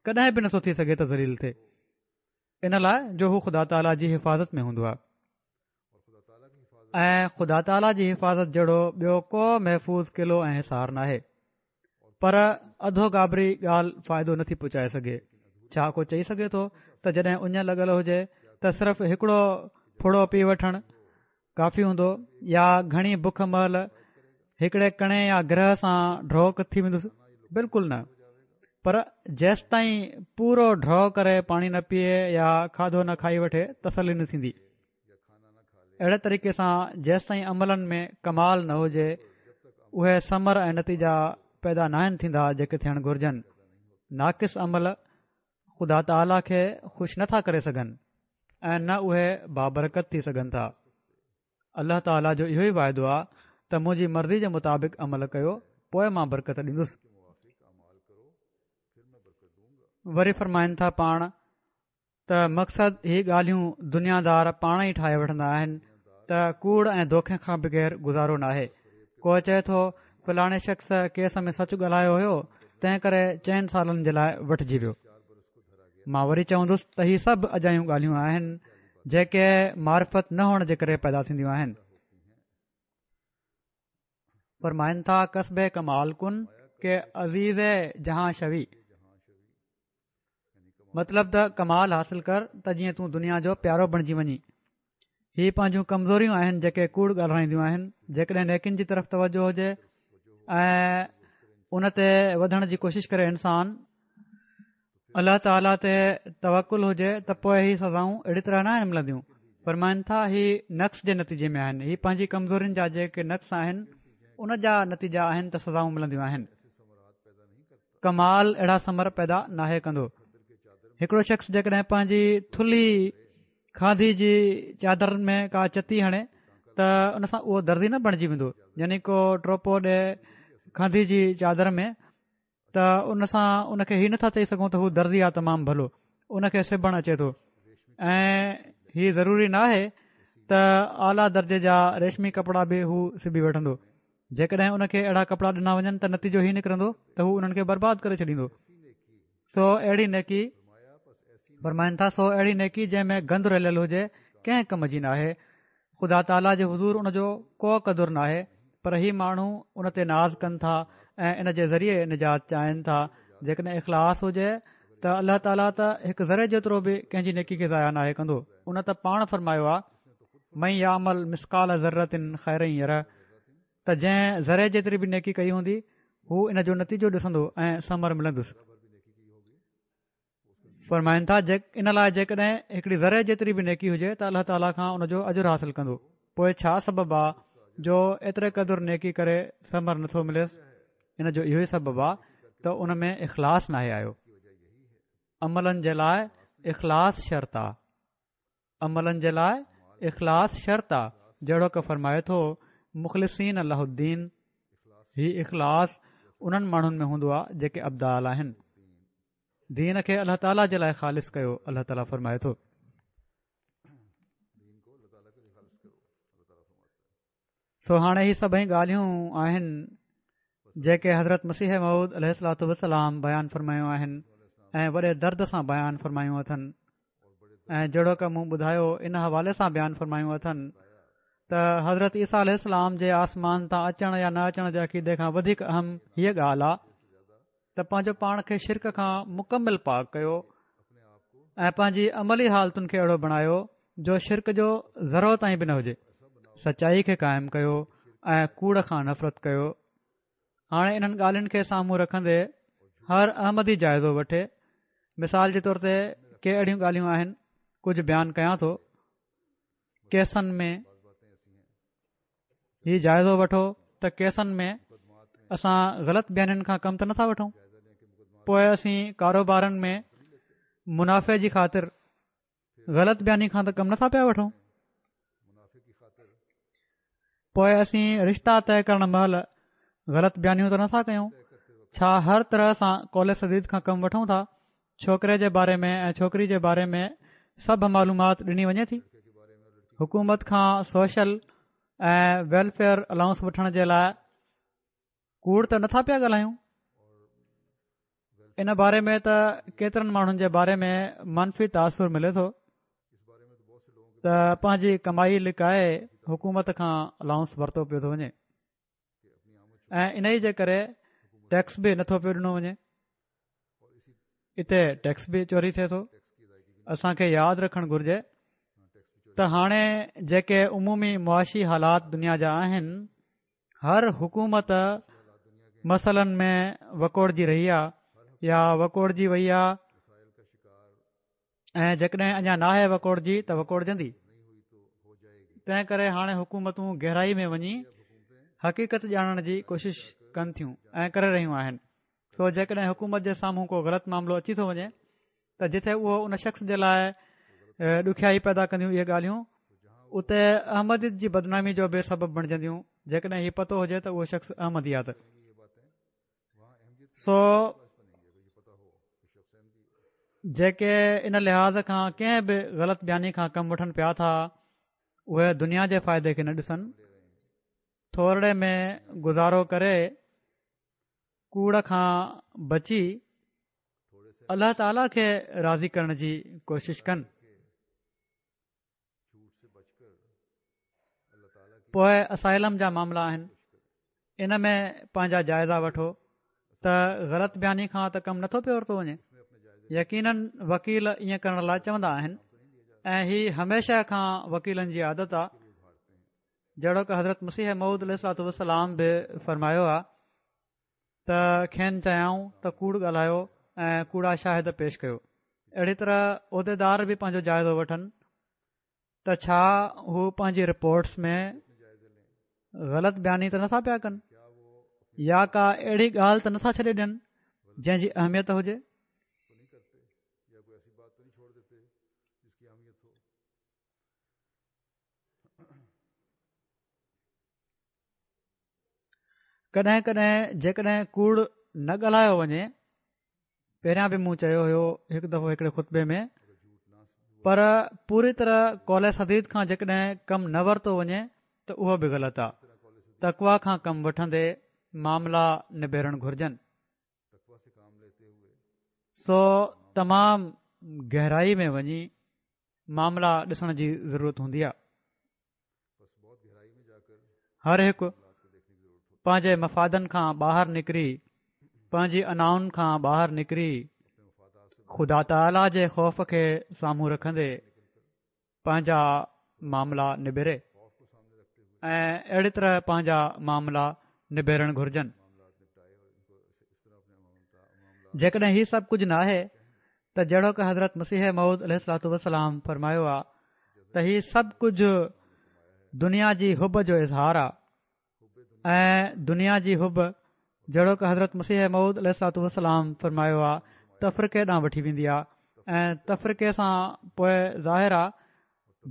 ڪڏهن به نٿو ٿي سگهي ته ذليل ٿئي. ان لاء جو هو خدا تعاليٰ جي حفاظت ۾ هوندو آهي ۽ خدا تعاليٰ جي حفاظت جهڙو ٻيو ڪو محفوظ قلعو ۽ حصار ناهي. پر اڌوگابري ڳالهه فائدو نٿي پهچائي سگهي. ڇا ڪو چئي سگهي ٿو ته جڏهن اڃ لڳل هجي ته صرف هڪڙو ڦڙو پي وٺڻ ڪافي هوندو يا گهڻي بک مهل هڪڙي ڪڻي يا گرهه سان ڍؤ ٿي ويندس؟ بلڪل نه پر جيستائين پورو ڍؤ ڪري پاڻي نه پيئي يا کاڌو نه کائي وٺي تسلي نه ٿيندي. اهڙي طريقي سان جيستائين عملن ۾ ڪمال نه هجي اهي ثمر ۽ نتيجا پيدا ناهن ٿيندا جيڪي ٿيڻ گهرجن ناقص عمل خدا تعاليٰ کي خوش نٿا ڪري سگهن ۽ نه اهي بابرڪت ٿي سگهن ٿا الله تعاليٰ جو اهو ئي واعدو آهي ته منهنجي مرضي جي مطابق عمل ڪيو پوء مان برڪت ڏيندس وري فرمائن ٿا پاڻ ته مقصد هي ڳالهيون دنيا دار پاڻ ئي ٺاهي وٺندا آهن ته ڪوڙ ۽ دوکي کان بغير گذارو ناهي ڪو چئي ٿو فلاڻي شخص ڪيس ۾ سچ ڳالهايو هيو تنهن ڪري چئن سالن جي لاء وٺجي ويو مان وري چوندس ته هي سڀ اجايون ڳالهيون آهن جيڪي معرفت نه هئڻ جي ڪري پيدا ٿينديون آهن فرمائن ٿا ڪسب ڪمال ڪن ڪه عزيز جهان شوي مطلب ته ڪمال حاصل ڪر ته جيئن تون دنيا جو پيارو بڻجي وڃين. هي پنهنجون ڪمزوريون آهن جيڪي ڪوڙ ڳالهرائينديون آهن. جيڪڏهن نيڪين جي طرف توجه هجي ۽ ان تي وڌڻ جي ڪوشش ڪري انسان الله تعاليٰ تي توڪل هجي ته پوء هي سزائون اهڙي طرح ناهن ملنديون. فرمائن ٿا هي نقص جي نتيجي ۾ آهن. هي پنهنجي ڪمزورين جا جيڪي نقص آهن ان جا نتيجا آهن ته سزائون ملنديون آهن. ڪمال اهڙا ثمر پيدا ناهي ڪندو. هڪڙو شخص جيڪڏهن پنهنجي ٿلهي کانڌي جي چادر ۾ ڪا چتي هڻي ته ان سان اهو درزي نه بڻجي ويندو يعني ڪو ٽوپو ڏي کانڌي جي چادر ۾ ته ان سان ان کي هي نٿا چئي سگهون ته هو درزي آ تمام ڀلو ان کي سبڻ اچي ٿو ۽ هي ضروري ناهي ته اعليٰ درجي جا ريشمي ڪپڙا به هو سبي وٺندو جيڪڏهن ان کي اهڙا ڪپڙا ڏنا وڃن ته نتيجو هي نڪرندو ته هو انهن کي برباد ڪري ڇڏيندو سو اهڙي نيڪي فرمائن ٿا سو اهڙي نيڪي جنهن ۾ گند رليل هجي ڪنهن ڪم جي ناهي خدا تعاليٰ جي حضور ان جو ڪو قدر ناهي پر هي ماڻهو ان تي ناز ڪن ٿا ۽ ان جي ذريعي نجات چاهين ٿا جيڪڏهن اخلاص هجي ته الله تعاليٰ ته هڪ ذري جيترو به ڪنهن جي نيڪي کي ضايع ناهي ڪندو ان ته پاڻ فرمايو آهي من يعمل مثقال ذرة خيرا يره ته جنهن ذري جيتري به نيڪي ڪئي هوندي هو ان جو نتيجو ڏسندو ۽ ثمر ملندس. فرمائن ٿا ان لاء جيڪڏهن هڪڙي ذري جيتري به نيڪي هجي ته الله تعاليٰ کان ان جو اجر حاصل ڪندو پوء ڇا سبب آ جو ايتري قدر نيڪي ڪري ثمر نٿو مليس ان جو اهو ئي سبب آ ته ان ۾ اخلاص ناهي آيو عملن جي لاء اخلاص شرط آ عملن جي لاء اخلاص شرط آ جهڙوڪ فرمائي ٿو مخلصين له الدين هي اخلاص انهن ماڻهن ۾ هوندو آ جيڪي ابدال آهن دين کي الله تعاليٰ جي لاء خالص ڪيو الله تعاليٰ فرمائي ٿو. سو هاڻي هي سڀئي ڳالهيون آهن جيڪي حضرت مسيح موعود عليه الصلوة والسلام بيان فرمايون آهن ۽ وڏي درد سان بيان فرمايون اٿن ۽ جهڙوڪ مون ٻڌايو ان حوالي سان بيان فرمايون اٿن ته حضرت عيسيٰ عليه السلام جي آسمان تان اچڻ يا نه اچڻ جي عقيدي کان وڌيڪ اهم هيء ڳالهه آهي ته پنهنجو پاڻ کي شرڪ کان مڪمل پاڪ ڪيو ۽ پنهنجي عملي حالتن کي اهڙو بڻايو جو شرڪ جو ذرو تائين به نه هجي سچائي کي قائم ڪيو ۽ ڪوڙ کان نفرت ڪيو هاڻي انهن ڳالهين کي سامهون رکندي هر احمدي جائزو وٺي مثال جي طور تي ڪي اهڙيون ڳالهيون آهن ڪجهه بيان ڪيان ٿو ڪيسن ۾ هي جائزو وٺو ته ڪيسن ۾ اسان غلط بيانين کان ڪم ته نٿا وٺون پوء اسين ڪاروبارن ۾ منافع جي خاطر غلط بياني کان ته ڪم نٿا پيا وٺون پوء اسين رشتا طئي ڪرڻ مهل غلط بيانيون ته نٿا ڪيون ڇا هر طرح سان قول سديد کان ڪم وٺون ٿا ڇوڪري جي باري ۾ ۽ ڇوڪري جي باري ۾ سڀ معلومات ڏني وڃي ٿي حڪومت کان سوشل. ۽ ويلفيئر الائونس وٺڻ جي لاء ڪوڙ ته نٿا پيا ڳالهايون ان باري ۾ ته ڪيترن ماڻهن جي باري ۾ منفي تاثر ملي ٿو ته پنهنجي ڪمائي لڪائي حڪومت کان الائونس ورتو پيو ٿو وڃي ۽ ان ئي جي ڪري ٽيڪس به نٿو پيو ڏنو وڃي اتي ٽيڪس به چوري ٿئي ٿو اسان کي ياد رکڻ گهرجي ته هاڻي جيڪي عمومي معاشي حالات دنيا جا آهن هر حڪومت مسئلن ۾ وڪوڙجي رهي آهي يا وڪوڙجي وئي آهي ۽ جيڪڏهن اڃا ناهي وڪوڙجي ته وڪوڙجندي تنهن ڪري هاڻي حڪومتون گهرائي ۾ وڃي حقيقت ڄاڻڻ جي ڪوشش ڪن ٿيون ۽ ڪري رهيون آهن سو جيڪڏهن حڪومت جي سامهون ڪو غلط معاملو اچي ٿو وڃي ته جتي اهو ان شخص جي لاء ڏکيائي پيدا ڪنديون اهي ڳالهيون اتي احمديت جي بدنامي جو به سبب بڻجنديون جيڪڏهن هي پتو هجي ته اهو شخص احمدي آ ته سو جيڪي ان لحاظ کان ڪنهن به غلط بياني کان ڪم وٺن پيا ٿا اهي دنيا جي فائدي کي نه ڏسن ٿورڙي ۾ گذارو ڪري ڪوڙ کان بچي الله تعاليٰ کي راضي ڪرڻ جي ڪوشش ڪن. پوء اسائلم جا معاملا آهن ان ۾ پنهنجا جائزا وٺو ته غلط بياني کان ته ڪم نٿو پيو ورتو وڃي يقينن وڪيل ائين ڪرڻ لاء چوندا آهن ۽ هي هميشه کان وڪيلن جي عادت آهي جهڙوڪ حضرت مسيح موعود عليه الصلوة والسلام به فرمايو آهي ته کين چيائون ته ڪوڙ ڳالهايو ۽ ڪوڙا شاهد پيش ڪيو اهڙي طرح عهديدار به پنهنجو جائزو وٺن ته ڇا هو پنهنجي رپورٽس ۾ غلط بياني ته نٿا پيا ڪن يا ڪا اهڙي ڳالهه ته نٿا ڇڏي ڏين جنهن جي اهميت هجي ڪڏهن ڪڏهن جيڪڏهن ڪوڙ نه ڳالهايو وڃي پهريان به مون چيو هيو هڪ دفعو هڪڙي خطبي ۾ پر پوري طرح قول سديد کان جيڪڏهن ڪم نه ورتو وڃي ته اهو به غلط آهي تقوا کان ڪم وٺندي معاملا نبيرڻ گهرجن سو تمام گهرائي ۾ وڃي معاملا ڏسڻ جي ضرورت هوندي آهي هر هڪ پنهنجي مفادن کان ٻاهر نڪري پنهنجي انائن کان ٻاهر نڪري خدا تعاليٰ جي خوف کي سامهون رکندي پنهنجا معاملا نبيري ۽ اهڙي طرح پنهنجا معاملا نبيرڻ گهرجن جيڪڏهن هي سڀ ڪجهه ناهي ته جهڙوڪ حضرت مسيح موعود عليه الصلوة والسلام فرمايو آ ته هي سڀ ڪجهه دنيا جي حب جو اظهار آ ۽ دنيا جي حب جهڙوڪ حضرت مسيح موعود عليه الصلوة والسلام فرمايو آ تفرقي ڏانهن وٺي ويندي آ ۽ تفرقي سان پوء ظاهر آ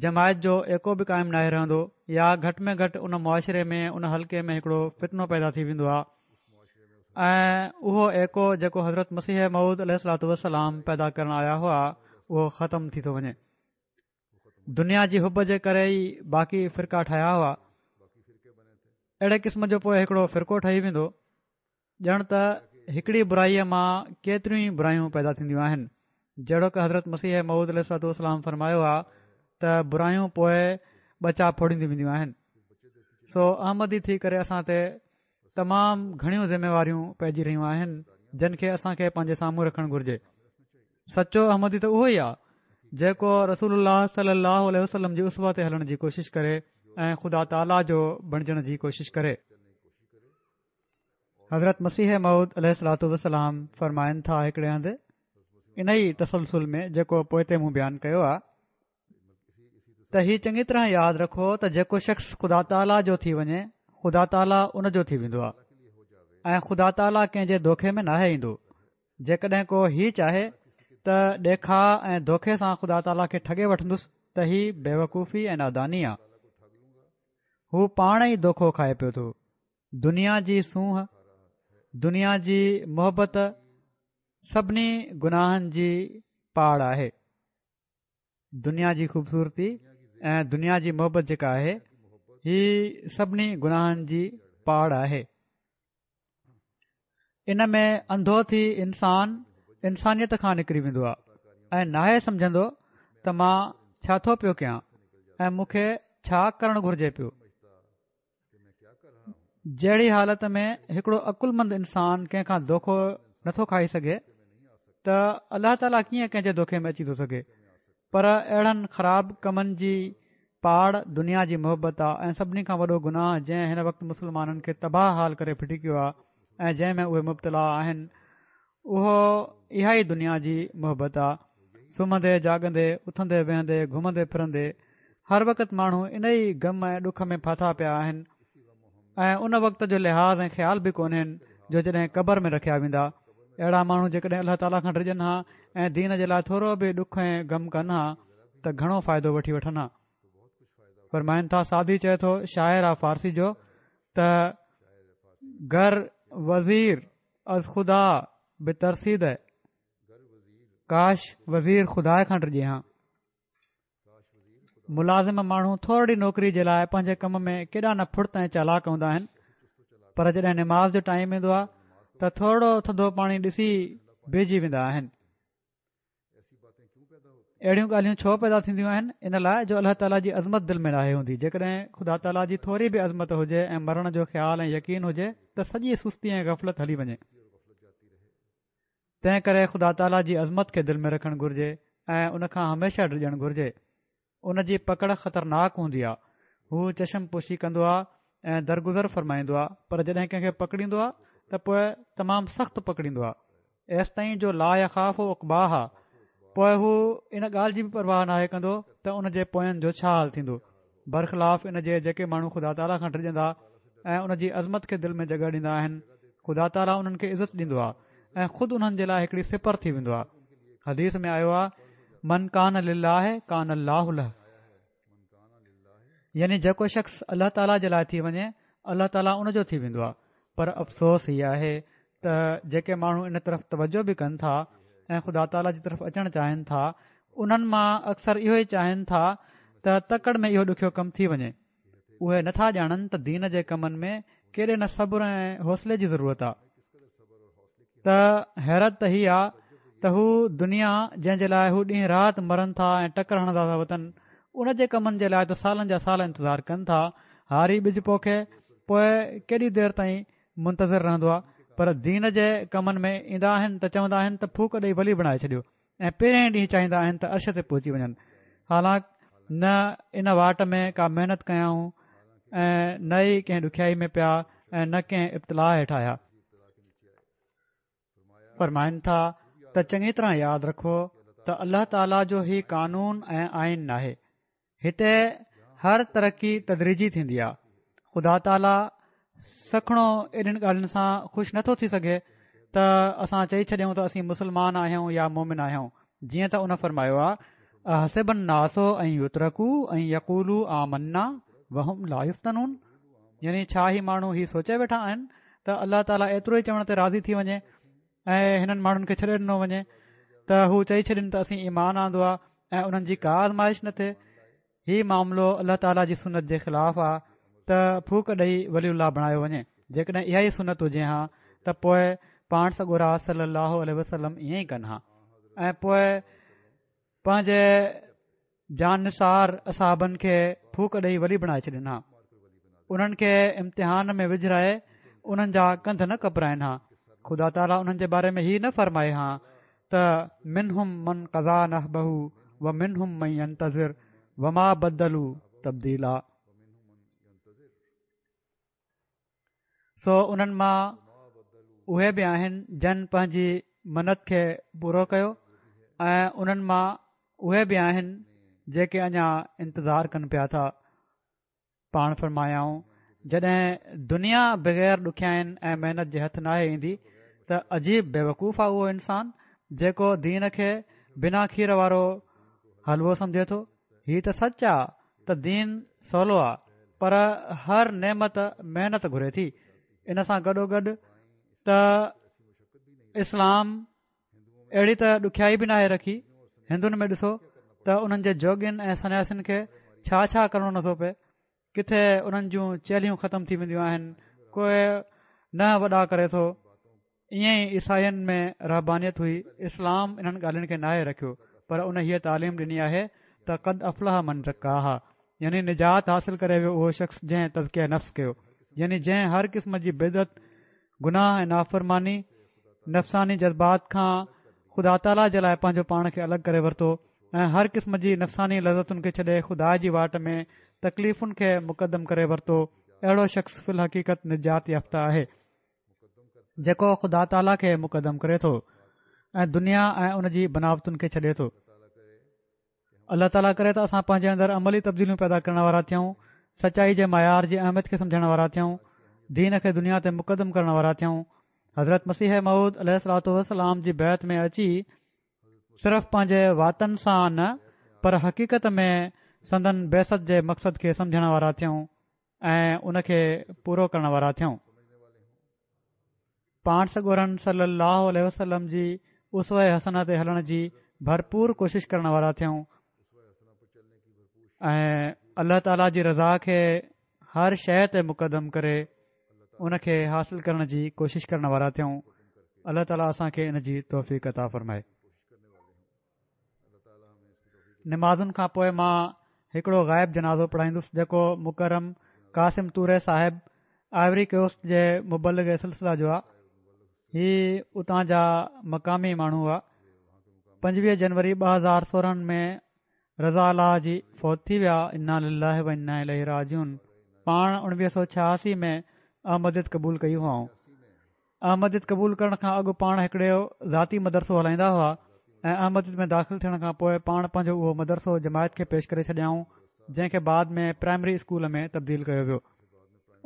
جماعت جو ايڪو به قائم ناهي رهندو يا گهٽ ۾ گهٽ ان معاشري ۾ ان حلقي ۾ هڪڙو فتنو پيدا ٿي ويندو آهي ۽ اهو ايڪو جيڪو حضرت مسيح موعود عليه الصلوة والسلام پيدا ڪرڻ آيا هئا اهو ختم ٿي ٿو وڃي دنيا جي حب جي ڪري ئي باقي فرقا ٺهيا هئا اهڙي قسم جو پوء هڪڙو فرقو ٺهي ويندو ڄڻ ته هڪڙي برائيء مان ڪيتريون ئي برايون پيدا ٿينديون آهن. جهڙوڪ حضرت مسيح موعود عليه الصلوة والسلام فرمايو آهي ته برايون پوء ٻچا ڦوڙينديون وينديون آهن. سو احمدي ٿي ڪري اسان تي تمام گهڻيون ذميواريون پئجي رهيون آهن جن کي اسان کي پنهنجي سامهون رکڻ گهرجي. سچو احمدي ته اهو ئي آهي جيڪو رسول الله صلي الله عليه وسلم جي اسوه تي هلڻ جي ڪوشش ڪري ۽ خدا تعاليٰ جو بڻجڻ جي ڪوشش ڪري. حضرت مسيح موعود عليه الصلوة والسلام فرمائن ٿا هڪڙي هنڌ ان ئي تسلسل ۾ جيڪو پوئتي مون بيان ڪيو آهي ته هي چڱي طرح ياد رکو ته جيڪو شخص خدا تعاليٰ جو ٿي وڃي خدا تعاليٰ ان جو ٿي ويندو آهي ۽ خدا تعاليٰ ڪنهن جي دوکي ۾ ناهي ايندو جيڪڏهن ڪو هي چاهي ته ڏيکاء ۽ دوکي سان خدا تعاليٰ کي ٺڳي وٺندس ته هي بيوقوفي ۽ ناداني آهي هو پاڻ ئي دوکو کائي پيو ٿو دنيا جي سونهن، دنيا جي محبت سڀني گناهن جي پاڙ آهي. دنيا جي خوبصورتي ۽ دنيا جي محبت جيڪا آهي، هي سڀني گناهن جي پاڙ آهي. ان ۾ انڌو ٿي انسان انسانيت کان نڪري ويندو آهي ۽ ناهي سمجهندو ته مان ڇا ٿو پيو ڪيان ۽ مون کي ڇا ڪرڻ گهرجي پيو. جهڙي حالت ۾ هڪڙو عقلمند انسان ڪنهن کان دوکو نٿو کائي سگهي ته الله تعاليٰ ڪيئن ڪنهن جي دوکي ۾ اچي ٿو سگهي پر اهڙن خراب ڪمن جي پاڙ دنيا جي محبت آ ۽ سڀني کان وڏو گناهه جنهن هن وقت مسلمانن کي تباهه حال ڪري ڦٽي ڪيو آ ۽ جنهن ۾ اهي مبتلا آهن اهو اها ئي دنيا جي محبت آ. سمهندي جاڳندي، اٿندي ويهندي، گهمندي ڦرندي هر وقت ماڻهو ان ئي غم ۽ ڏک ۾ ڦاٿا پيا آهن ۽ ان وقت جو لحاظ ۽ خيال به ڪونهين جو جڏهن قبر ۾ رکيا ويندا. اهڙا ماڻهو جيڪڏهن الله تعاليٰ کان ڊڄن ها ۽ دين جي لاء ٿورو به ڏک ۽ غم ڪن ها ته گهڻو فائدو وٺي وٺن ها. فرمائن ٿا سعدي چئي ٿو شاعر آ فارسي جو ته گر وزير از خدا بترسيد ڪاش وزير خدا کان ڊڄي ها. ملازم ماڻهو ٿورڙي نوڪري جي لاء پنهنجي ڪم ۾ ڪيڏا نه ڦڙت ۽ چالاڪ هوندا آهن پر جڏهن نماز جو ٽائيم ايندو آهي ته ٿورڙو ٿڌو پاڻي ڏسي بيهجي ويندا آهن اهڙيون ڳالهيون ڇو پيدا ٿينديون آهن ان لاء جو الله تعاليٰ جي عظمت دل ۾ ناهي هوندي جيڪڏهن خدا تعاليٰ جي ٿوري به عظمت هجي ۽ مرڻ جو خيال ۽ يقين هجي ته سڄي سستي ۽ غفلت هلي وڃي تنهن ڪري خدا تعاليٰ جي عظمت کي دل ۾ رکڻ گهرجي ۽ ان کان هميشه ڊڄڻ گهرجي. ان جي پڪڙ خطرناڪ هوندي آ. هو چشم پوشي ڪندو آ ۽ درگذر فرمائيندو آ پر جڏهن ڪنهن کي پڪڙيندو آ ته پوء تمام سخت پڪڙيندو آ ايستائين جو لا يخاف عقباها پوء هو ان ڳالهه جي به پرواهه ناهي ڪندو ته ان جي پوين جو ڇا حال ٿيندو. برخلاف ان جي جيڪي ماڻهو خدا تعاليٰ کان ڊڄندا ۽ ان جي عظمت کي دل ۾ جڳهه ڏيندا آهن خدا تعاليٰ انهن کي عزت ڏيندو آهي ۽ خود انهن جي لاء هڪڙي سپر ٿي ويندو آهي حديث ۾ آيو آهي من ڪان لله ڪان الله له يعني جيڪو شخص الله تعاليٰ جي لاء ٿي وڃي الله تعاليٰ ان جو ٿي ويندو آهي پر افسوس هي آهي ته جيڪي ماڻهو ان طرف توجه به ڪن ٿا ۽ خدا تعاليٰ جي طرف اچڻ چاهين ٿا انهن مان اڪثر اهو ئي چاهين ٿا ته تڪڙ ۾ اهو ڏکيو ڪم ٿي وڃي اهي نٿا ڄاڻن ته دين جي ڪمن ۾ ڪيڏي نه صبر ۽ حوصلي جي ضرورت آهي ته حيرت ته هي آ ته هو دنيا جنهن جي لاء هو ڏينهن رات مرن ٿا ۽ ٽڪر هڻندا ٿا وتن ان جي ڪمن جي لاء ته سالن جا سال انتظار ڪن ٿا هاري ٻج پوکي پوء ڪيڏي دير تائين منتظر رهندو آهي پر دين جي ڪمن ۾ ايندا آهن ته چوندا آهن ته ڦوڪ ڏئي ولي بڻائي ڇڏيو ۽ پهرئين ڏينهن چاهيندا آهن ته عرش تي پهچي وڃن حالانڪ نه ان واٽ ۾ ڪا محنت ڪيائون ۽ نه ئي ڪنهن ڏکيائي ۾ پيا ۽ نه ڪنهن ابتلاء هيٺ آيا. فرمائن ٿا ته چڱي طرح ياد رکو ته الله تعاليٰ جو هي قانون ۽ آئين ناهي هتي هر ترقي تدريجي ٿيندي آهي خدا تعاليٰ سکڻو اهڙين ڳالهين سان خوش نٿو ٿي سگهي ته اسان چئي ڇڏيون ته اسين مسلمان آهيون يا مومن آهيون جيئن ته ان فرمايو آهي احسب الناس ان يترڪوا ان يقولوا آمنا وهم لا يفتنون يعني ڇا هي ماڻهو هي سوچي ويٺا آهن ته الله تعاليٰ ايترو ئي چوڻ تي راضي ٿي وڃي ۽ هنن ماڻهن کي ڇڏي ڏنو وڃي ته هو چئي ڇڏين ته اسين ايمان آندو آهي ۽ انهن جي ڪا آزمائش نه ٿئي هي معاملو الله تعاليٰ جي سنت جي خلاف آهي ته ڦوڪ ڏئي ولي الله بڻايو وڃي جيڪڏهن اها ئي سنت هجي ها ته پوء پاڻ سڳورا صلي الله عليه وسلم ائين ئي ڪن ها ۽ پوء پنهنجي جان نثار اصحابن کي ڦوڪ ڏئي ولي بڻائي ڇڏين ها انهن کي امتحان ۾ وجهرائي انهن جا ڪنڌ نه ڪپرائن ها خدا تعاليٰ انهن جي باري ۾ هي نه فرمائي ها ته منهم من قضيٰ نحبه و منهم من ينتظر وما بدلوا تبديلا سو انهن مان اهي به آهن جن پنهنجي منت کي پورو ڪيو ۽ انهن مان اهي به آهن جيڪي اڃا انتظار ڪن پيا ٿا پاڻ فرمايائون جڏهن دنيا بغير ڏکيائين ۽ محنت جي هٿ ناهي ايندي ته عجيب بيوقوف آهي اهو انسان جيڪو دين کي بنا کير وارو حلوو سمجهي ٿو هي ته سچ آ ته دين سولو آ پر هر نعمت محنت گهري ٿي ان سان گڏوگڏ ته اسلام اهڙي ته ڏکيائي به ناهي رکي هندن ۾ ڏسو ته انهن جي جوڳين ۽ سنياسين کي ڇا ڇا ڪرڻو نٿو پئي. ڪٿي انهن جون چيلهيون ختم ٿي وينديون آهن، ڪوئي ننهن وڏا ڪري ٿو. ائين ئي عيسائين ۾ رهبانيت هئي. اسلام انهن ڳالهين کي ناهي رکيو پر ان هيء تعليم ڏني آهي ته قد افلح من زڪاها يعني نجات حاصل ڪري ويو اهو شخص جنهن تزڪيه نفس ڪيو يعني جنهن هر قسم جي بدعت، گناهه ۽ نافرماني، نفساني جذبات کان خدا تعاليٰ جي لاء پنهنجو پاڻ کي الڳ ڪري ورتو ۽ هر قسم جي نفساني لذتن کي ڇڏي خدا جي واٽ ۾ تڪليفن کي مقدم ڪري ورتو اهڙو شخص في الحقيقت نجات يافته آهي جيڪو خدا تعاليٰ کي مقدم ڪري ٿو ۽ دنيا ۽ ان جي بناوتن کي ڇڏي ٿو. الله تعاليٰ ڪري ته اسان پنهنجي اندر عملي تبديليون پيدا ڪرڻ وارا ٿيون، سچائي جي معيار جي اهميت کي سمجهڻ وارا ٿيون، دين کي دنيا تي مقدم ڪرڻ وارا ٿيون. حضرت مسيح موعود عليه الصلوة والسلام جي بيعت ۾ اچي صرف پنهنجي واتن سان نه پر حقيقت ۾ سندن بعثت جي مقصد کي سمجهڻ وارا ٿيون ۽ ان کي پورو ڪرڻ وارا ٿيون. پاڻ سڳورن صلّي اللّٰه عليه وسلّم جي اسوه حسنه تي هلڻ جي ڀرپور ڪوشش ڪرڻ وارا ٿيون ۽ الله تعاليٰ جي رضا کي هر شيء تي مقدم ڪري ان کي حاصل ڪرڻ جي ڪوشش ڪرڻ وارا ٿيون الله تعاليٰ اسان کي ان جي توفيق عطا فرمائي. نمازن کان پوء مان هڪڙو غائب جنازو پڙهائيندس جيڪو مڪرم قاسم توري صاحب آئيوري ڪوسٽ جي مبلغ سلسله جو آ هي اتان جا مقامي ماڻهو هئا 25 جنوري 2016 ۾ رضا الله جي فوت ٿي ويا انا لله و انا اليه راجعون پاڻ 1986 ۾ احمديت قبول ڪئي هئائون احمديت قبول ڪرڻ کان اڳ پاڻ هڪڙو ذاتي مدرسو هلائيندا هئا ۽ احمديت ۾ داخل ٿيڻ کان پوء پاڻ پنهنجو اهو مدرسو جماعت کي پيش ڪري ڇڏيائون جنهن کي بعد ۾ پرائمري اسڪول ۾ تبديل ڪيو ويو.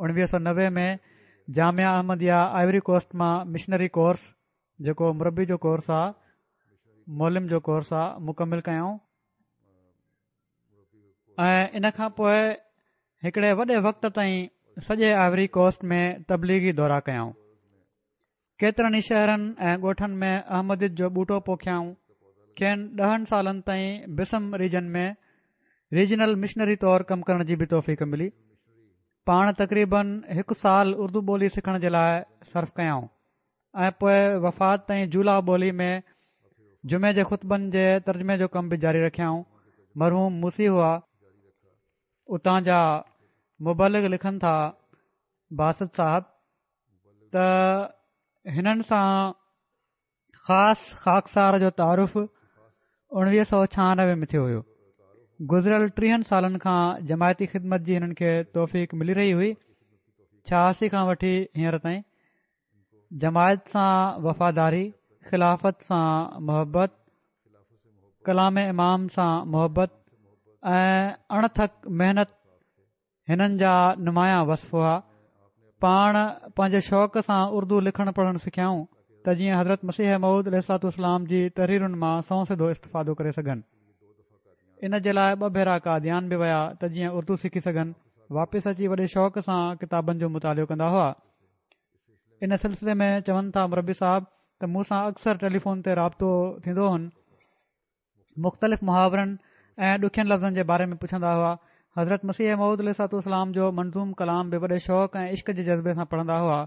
1990 ۾ جامعه احمديه آئيوري ڪوسٽ مان مشنري ڪورس جيڪو مربي جو ڪورس آ معلم جو ڪورس آ مڪمل ڪيائون. ۽ ان کان پوء هڪڙي وڏي وقت تائين سڄي آئيوري ڪوسٽ ۾ تبليغي دورا ڪيائون. ڪيترن ئي شهرن ۽ ڳوٺن ۾ احمديت جو ٻوٽو پوکيائون. کين ڏهن سالن تائين بسم ريجن ۾ ريجنل مشنري طور ڪم ڪرڻ جي به توفيق ملي. پاڻ تقريبن هڪ سال اردو ٻولي سکڻ جي لاء صرف ڪيائون. ۽ پوء وفات تائين جولا ٻولي ۾ جمعي جي خطبن جي ترجمي جو ڪم به جاري رکيائون. مرحوم موصي هئا. اتان جا مبلغ لکن ٿا باسط صاحب ته هنن سان خاص خاڪسار جو تعارف 1996 ۾ ٿيو هيو. گذريل ٽيهن سالن کان جماعتي خدمت جي هنن کي توفيق ملي رهي هئي. 86 کان وٺي هينئر تائين جماعت سان وفاداري، خلافت سان محبت، ڪلام امام سان محبت ۽ اڻ ٿڪ محنت هنن جا نمايان وصف هئا. پاڻ پنهنجي شوق سان اردو لکڻ پڙهڻ سکيائون ته جيئن حضرت مسيح موعود عليه الصلوة والسلام جي تحريرن مان سنئون سڌو استفادو ڪري سگهن. ان جي لاء ٻه ڀيرا قاديان به ويا ته جيئن اردو سکي سگهن. واپس اچي وڏي شوق سان ڪتابن جو مطالعو ڪندا هئا. ان سلسلي ۾ چون ٿا مربي صاحب ته مون سان اڪثر ٽيليفون تي رابطو ٿيندو هن مختلف محاورن ۽ ڏکين لفظن جي باري ۾ پڇندا هئا حضرت مسيح موعود عليه الصلوة والسلام جو منظوم ڪلام به وڏي شوق ۽ عشق جي جذبي سان پڙهندا هئا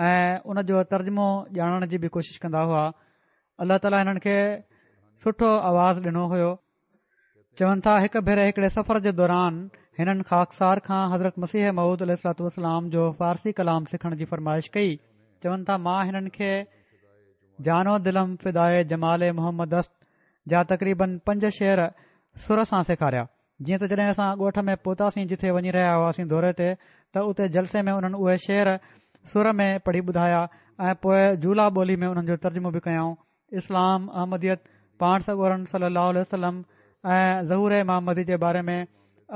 ۽ ان جو ترجمو ڄاڻڻ جي به ڪوشش ڪندا هئا الله تعاليٰ هنن کي سٺو آواز ڏنو هيو چون ٿا هڪ ڀيري هڪڙي سفر جي دوران هنن خاڪسار کان حضرت مسيح موعود عليه الصلوة والسلام جو فارسي ڪلام سکڻ جي فرمائش ڪئي چون ٿا مان هنن کي جان و دلم فدائي جمال محمد است جا تقريبن پنج شعر سر سان سيکاريا جيئن ته جڏهن اسان ڳوٺ ۾ پهتاسين جٿي وڃي رهيا هئاسين دوري تي ته اتي جلسي ۾ انهن اهي شعر سر ۾ پڙهي ٻڌايا ۽ پوء جولا ٻولي ۾ انهن جو ترجمو به ڪيائون اسلام، احمديت، پاڻ سڳورن صلّي اللّٰه عليه وسلّم ۽ ظهور امام مهدي جي باري ۾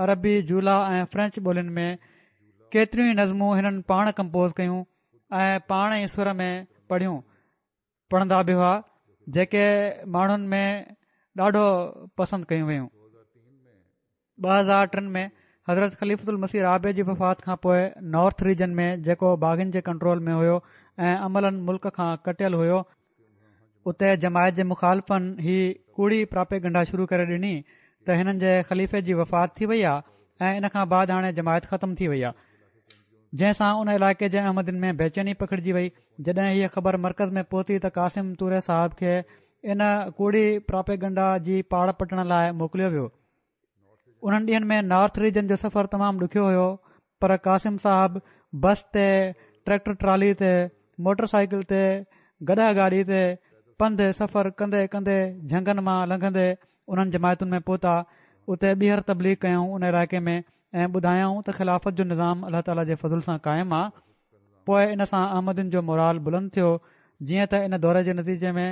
عربي، جولا ۽ فرينچ ٻولين ۾ ڪيتريون ئي نظمون هنن پاڻ ڪمپوز ڪيون ۽ پاڻ ئي سر ۾ پڙهيون پڙهندا به هئا جيڪي ماڻهن ۾ ڏاڍو پسند ڪيون ويون. 2003 ۾ حضرت خليفة المسيح رابع جي وفات کان پوء نارٿ ريجن ۾ جيڪو باغين جي ڪنٽرول ۾ هيو ۽ عملاً ملڪ کان ڪٽيل هيو، اتي جماعت جي مخالفن هي ڪوڙي پراپيگنڊا شروع ڪري ڏني ته هنن جي خليفي جي وفات ٿي وئي آهي ۽ ان کان بعد هاڻي جماعت ختم ٿي وئي آهي. جنهن سان ان علائقي جي احمدين ۾ بيچيني پکڙجي وئي. جڏهن هيء خبر مرڪز ۾ پهتي ته قاسم توري صاحب کي ان ڪوڙي پراپيگنڊا جي پاڙ پٽڻ لاء موڪليو ويو. انهن ڏينهن ۾ نارٿ ريجن جو سفر تمام ڏکيو هيو پر قاسم صاحب بس تي، ٽريڪٽر ٽرالي تي، موٽر سائيڪل تي، گڏهه گاڏي تي پنڌ سفر ڪندي ڪندي جهنگن مان لنگهندي انهن جماعتن ۾ پهتا اتي ٻيهر تبليغ ڪيائون ان علائقي ۾ ۽ ٻڌايائون ته خلافت جو نظام الله تعاليٰ جي فضل سان قائم آ پوء ان سان احمدين جو مورال بلند ٿيو جيئن ته ان دوري جي نتيجي ۾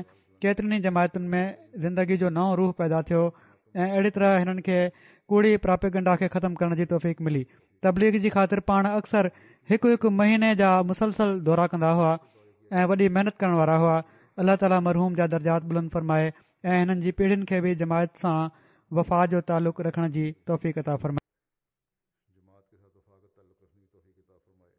ڪيترين ئي جماعتن ۾ زندگي جو نئون روح پيدا ٿيو ۽ اهڙي طرح هنن کي ڪوڙي پراپيگنڊا کي ختم ڪرڻ جي توفيق ملي. تبليغ جي خاطر پاڻ اڪثر هڪ هڪ مهيني جا مسلسل دورا ڪندا هئا ۽ وڏي محنت ڪرڻ وارا هئا. الله تعاليٰ مرحوم جا درجات بلند فرمائي ۽ هنن جي پيڙهين کي به جماعت سان وفا جو تعلق رکڻ جي توفيق عطا فرمائي. جماعت کے ساتھ وفا کا تعلق رکھنے کی توفیق عطا فرمائے۔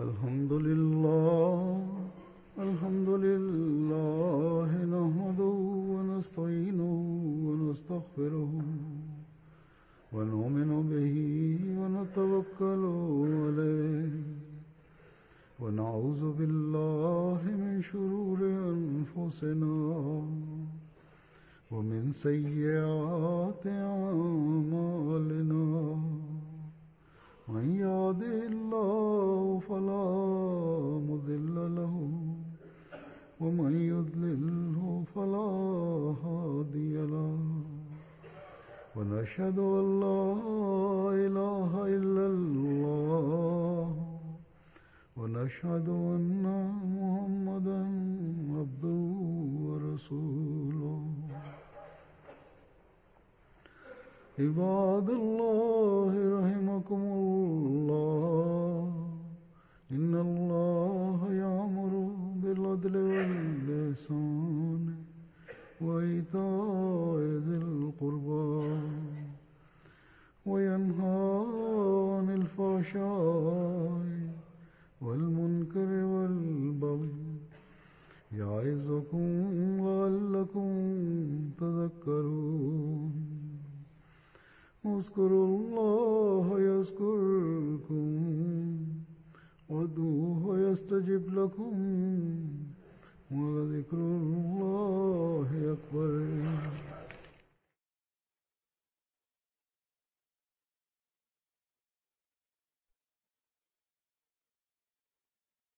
الحمد لله الحمد لله نحمده ونستعينه ونستغفره ونؤمن به ونتوكل عليه ونعوذ بالله من شرور أنفسنا ومن سيئات أعمالنا من يهده الله فلا مضل له ومن يضلله فلا هادي له ونشهد أن لا إله إلا الله ونشهد أن محمدا عبده ورسوله عباد الله رحمكم الله إن الله يأمر بالعدل والإحسان وإيتاء ذي القربى وينهى عن الفحشاء والمنكر والبغي يعظكم لعلكم تذكرون اذكروا الله يذكركم وادعوه يستجب لكم ولذكر الله أكبر.